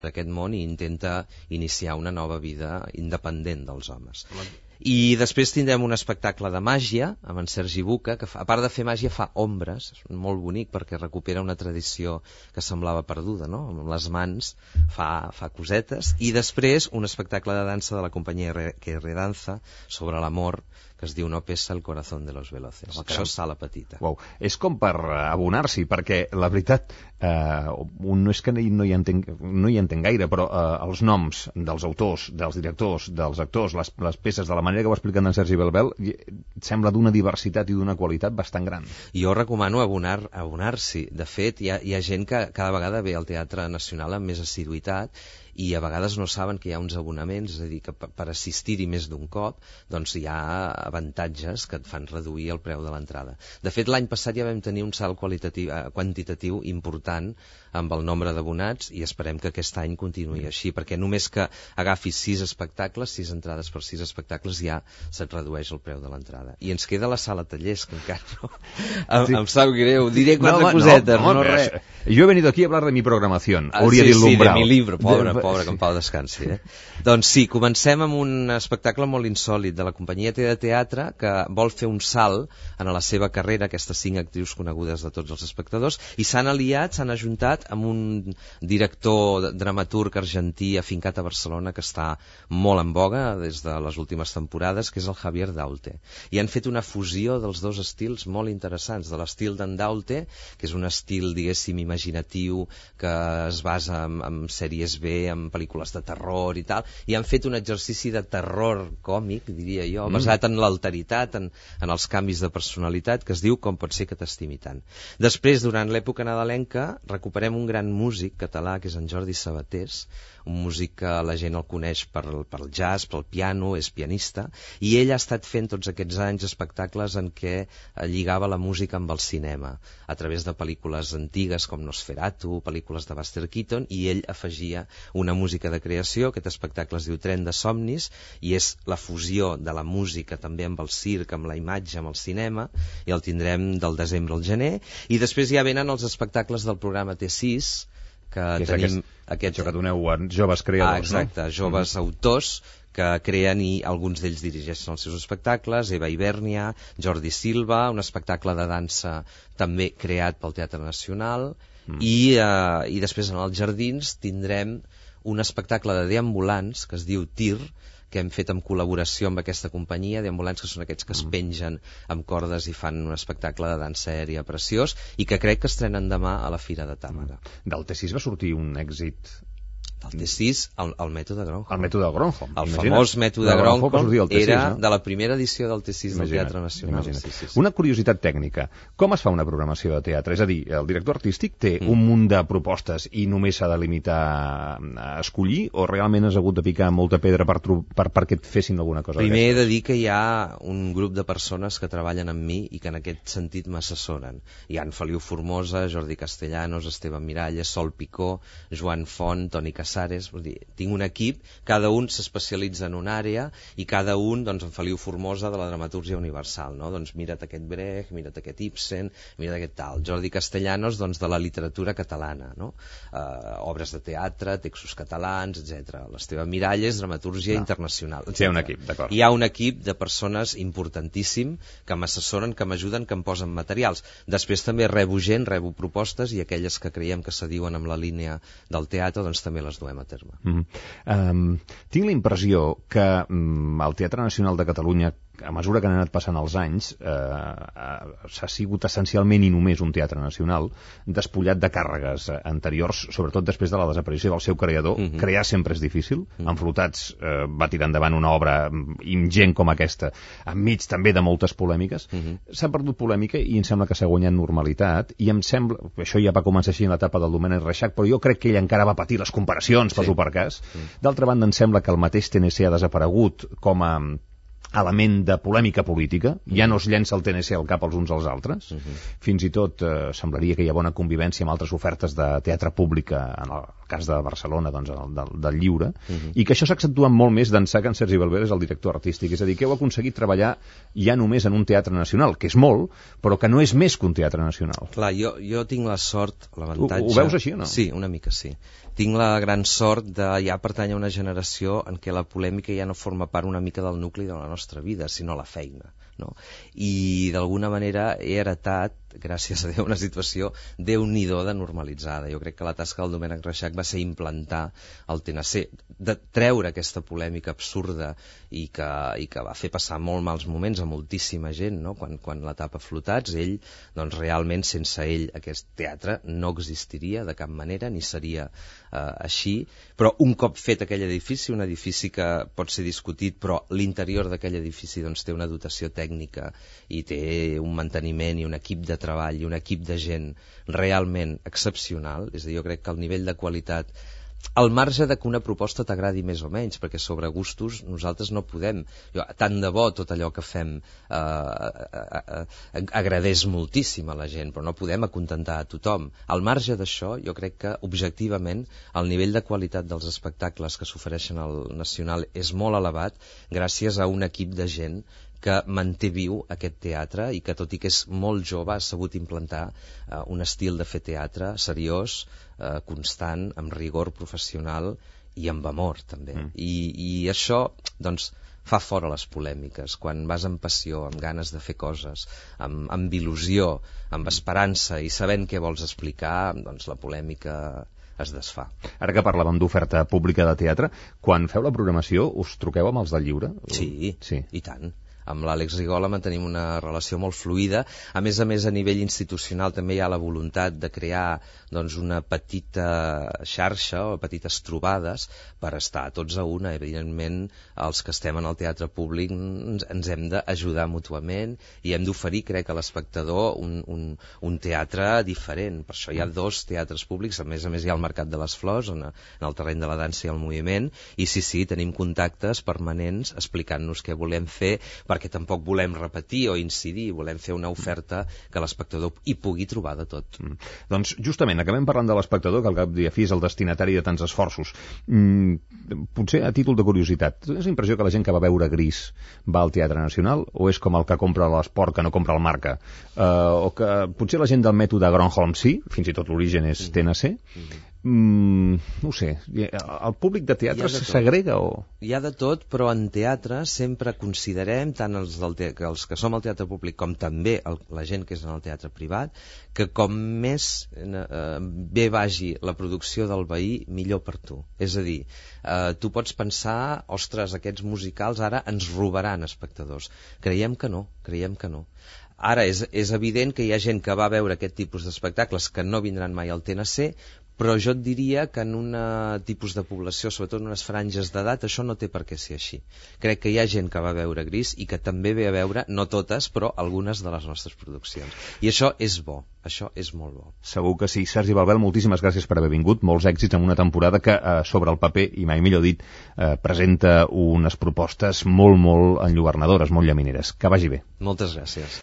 d'aquest món i intenta iniciar una nova vida independent dels homes. I després tindrem un espectacle de màgia amb en Sergi Buca, que a part de fer màgia fa ombres, és molt bonic perquè recupera una tradició que semblava perduda, no? Amb les mans fa cosetes. I després un espectacle de dansa de la companyia que redanza sobre l'amor, que es diu No pesa el corazón de los veloces. Això és Sala Petita. Uau. És com per abonar-s'hi, perquè la veritat, no és que no hi entenc gaire, però els noms dels autors, dels directors, dels actors, les peces, de la manera que ho expliquen en Sergi Belbel, sembla d'una diversitat i d'una qualitat bastant gran. Jo recomano abonar-s'hi. De fet, hi ha gent que cada vegada ve al Teatre Nacional amb més assiduïtat i a vegades no saben que hi ha uns abonaments, és a dir, que per assistir-hi més d'un cop, doncs hi ha avantatges que et fan reduir el preu de l'entrada. De fet, l'any passat ja vam tenir un salt quantitatiu important amb el nombre d'abonats i esperem que aquest any continuï així, perquè només que agafis 6 espectacles, 6 entrades per 6 espectacles, ja se't redueix el preu de l'entrada. I ens queda la sala tallers, que encara no... Em sap greu, diré 4 cosetes, no res. Jo he venido aquí a hablar de mi programación, hauria dit l'Umbral. Sí, de mi libro, pobre, que en pau descansi. Doncs sí, comencem amb un espectacle molt insòlid de la companyia de teatre que vol fer un salt en la seva carrera, aquestes 5 actrius conegudes de tots els espectadors, i s'han aliat, s'han ajuntat amb un director dramaturg argentí afincat a Barcelona que està molt en boga des de les últimes temporades, que és el Javier Daute. I han fet una fusió dels dos estils molt interessants, de l'estil d'en Daute, que és un estil, diguéssim, imaginatiu, que es basa en sèries B, en pel·lícules de terror i tal, i han fet un exercici de terror còmic, diria jo, basat en l'alteritat, en els canvis de personalitat, que es diu Com pot ser que t'estimi tant. Després, durant l'època nadalenca, recuperem un gran músic català, que és en Jordi Sabatés, un músic que la gent el coneix pel jazz, pel piano, és pianista, i ell ha estat fent tots aquests anys espectacles en què lligava la música amb el cinema, a través de pel·lícules antigues com Nosferatu, pel·lícules de Buster Keaton, i ell afegia una música de creació. Aquest espectacle es diu Tren de somnis, i és la fusió de la música també amb el circ, amb la imatge, amb el cinema, i el tindrem del desembre al gener, i després ja venen els espectacles del programa T6, que tenim això que doneu a joves creadors, exacte, joves autors que creen i alguns d'ells dirigeixen els seus espectacles, Eva Ibernia, Jordi Silva, un espectacle de dansa també creat pel Teatre Nacional, i després en els Jardins tindrem un espectacle de deambulants que es diu Tir, que hem fet en col·laboració amb aquesta companyia, deambulants, que són aquests que es pengen amb cordes i fan un espectacle de dansa aèria preciós, i que crec que estrenen demà a la Fira de Tàmega. Del T6 va sortir un èxit... Del T6, el mètode Gronholm. El mètode Gronholm. El famós mètode Gronholm era de la primera edició del T6 del Teatre Nacional. Sí. Una curiositat tècnica. Com es fa una programació de teatre? És a dir, el director artístic té un munt de propostes i només s'ha de limitar a escollir, o realment has hagut de picar molta pedra perquè et fessin alguna cosa? Primer he de dir que hi ha un grup de persones que treballen amb mi i que en aquest sentit m'assessoren. Hi ha en Feliu Formosa, Jordi Castellanos, Esteban Miralles, Sol Picó, Joan Font, Toni Casares. Vull dir, tinc un equip, cada un s'especialitza en una àrea i cada un, doncs en Feliu Formosa de la dramatúrgia universal, no? Doncs mira't aquest Brecht, mira't aquest Ibsen, mira't aquest tal. Jordi Castellanos, doncs de la literatura catalana, no? Obres de teatre, textos catalans, etc. L'Esteban Miralles, dramatúrgia internacional, etc. Hi ha un equip, d'acord. Hi ha un equip de persones importantíssim que m'assessoren, que m'ajuden, que em posen materials. Després també rebo propostes, i aquelles que creiem que s'adiuen amb la línia del teatre, doncs també les duem a terme. Tinc la impressió que el Teatre Nacional de Catalunya, a mesura que han anat passant els anys, s'ha sigut essencialment i només un teatre nacional, despullat de càrregues anteriors, sobretot després de la desaparició del seu creador. Crear sempre és difícil. En Flotats va tirar endavant una obra ingent com aquesta, enmig també de moltes polèmiques. S'ha perdut polèmica i em sembla que s'ha guanyat normalitat, i em sembla, això ja va començar així en l'etapa del Domènec Reixac, però jo crec que ell encara va patir les comparacions, per cas. D'altra banda, em sembla que el mateix TNC ha desaparegut com a element de polèmica política, ja no es llença el TNC al cap els uns als altres, fins i tot semblaria que hi ha bona convivència amb altres ofertes de teatre pública, en el cas de Barcelona, doncs, del Lliure, i que això s'accentua molt més d'ençà que en Sergi Belver és el director artístic, és a dir, que heu aconseguit treballar ja només en un teatre nacional, que és molt, però que no és més que un teatre nacional. Clar, jo tinc la sort, l'avantatge... Ho veus així o no? Sí, una mica sí. Tinc la gran sort de ja pertànyer a una generació en què la polèmica ja no forma part una mica del nucli de la nostra vida, sinó la feina, no? I d'alguna manera he heretat, gràcies a Déu, una situació déu-n'hi-do de normalitzada. Jo crec que la tasca del Domènec Reixac va ser implantar el TNC, de treure aquesta polèmica absurda i que va fer passar molt mals moments a moltíssima gent, no? Quan l'etapa Flotats, ell, doncs realment sense ell aquest teatre no existiria de cap manera, ni seria així, però un cop fet aquell edifici, un edifici que pot ser discutit, però l'interior d'aquell edifici doncs, té una dotació tècnica i té un manteniment i un equip de treball i un equip de gent realment excepcional, és a dir, jo crec que el nivell de qualitat, al marge de que una proposta t'agradi més o menys, perquè sobre gustos nosaltres no podem, tant de bo tot allò que fem agradés moltíssim a la gent, però no podem acontentar a tothom. Al marge d'això, jo crec que objectivament el nivell de qualitat dels espectacles que s'ofereixen al Nacional és molt elevat gràcies a un equip de gent que manté viu aquest teatre i que, tot i que és molt jove, ha sabut implantar un estil de fer teatre seriós, constant, amb rigor professional i amb amor, també. I això, doncs, fa fora les polèmiques. Quan vas amb passió, amb ganes de fer coses, amb il·lusió, amb esperança i sabent què vols explicar, doncs la polèmica es desfà. Ara que parlàvem d'oferta pública de teatre, quan feu la programació us truqueu amb els del Lliure? Sí. I tant. Amb l'Àlex Rigola mantenim una relació molt fluida. A més, a nivell institucional també hi ha la voluntat de crear doncs, una petita xarxa o petites trobades per estar tots a una. Evidentment, els que estem en el teatre públic ens hem d'ajudar mútuament i hem d'oferir, crec, a l'espectador un teatre diferent. Per això hi ha 2 teatres públics. A més, hi ha el Mercat de les Flors, en el terreny de la dansa i el moviment, i sí, tenim contactes permanents explicant-nos què volem fer, perquè tampoc volem repetir o incidir, volem fer una oferta que l'espectador hi pugui trobar de tot. Doncs justament, acabem parlant de l'espectador, que al cap i a fi és el destinatari de tants esforços. Potser a títol de curiositat, tens la impressió que la gent que va veure Gris va al Teatre Nacional, o és com el que compra l'Esport que no compra el Marca? O que potser la gent del mètode Gronholm sí, fins i tot l'origen és TNC? No ho sé, el públic de teatre s'agrega o...? Hi ha de tot, però en teatre sempre considerem, tant els que som al teatre públic com també la gent que és en el teatre privat, que com més bé vagi la producció del veí, millor per tu. És a dir, tu pots pensar, ostres, aquests musicals ara ens robaran espectadors. Creiem que no. Ara és evident que hi ha gent que va veure aquest tipus d'espectacles que no vindran mai al TNC, però jo et diria que en un tipus de població, sobretot en unes franges d'edat, això no té per què ser així. Crec que hi ha gent que va veure Gris i que també ve a veure, no totes, però algunes de les nostres produccions. I això és bo, això és molt bo. Segur que sí. Sergi Balbel, moltíssimes gràcies per haver vingut, molts èxits en una temporada que sobre el paper, i mai millor dit, presenta unes propostes molt enlluernadores, molt llamineres. Que vagi bé. Moltes gràcies.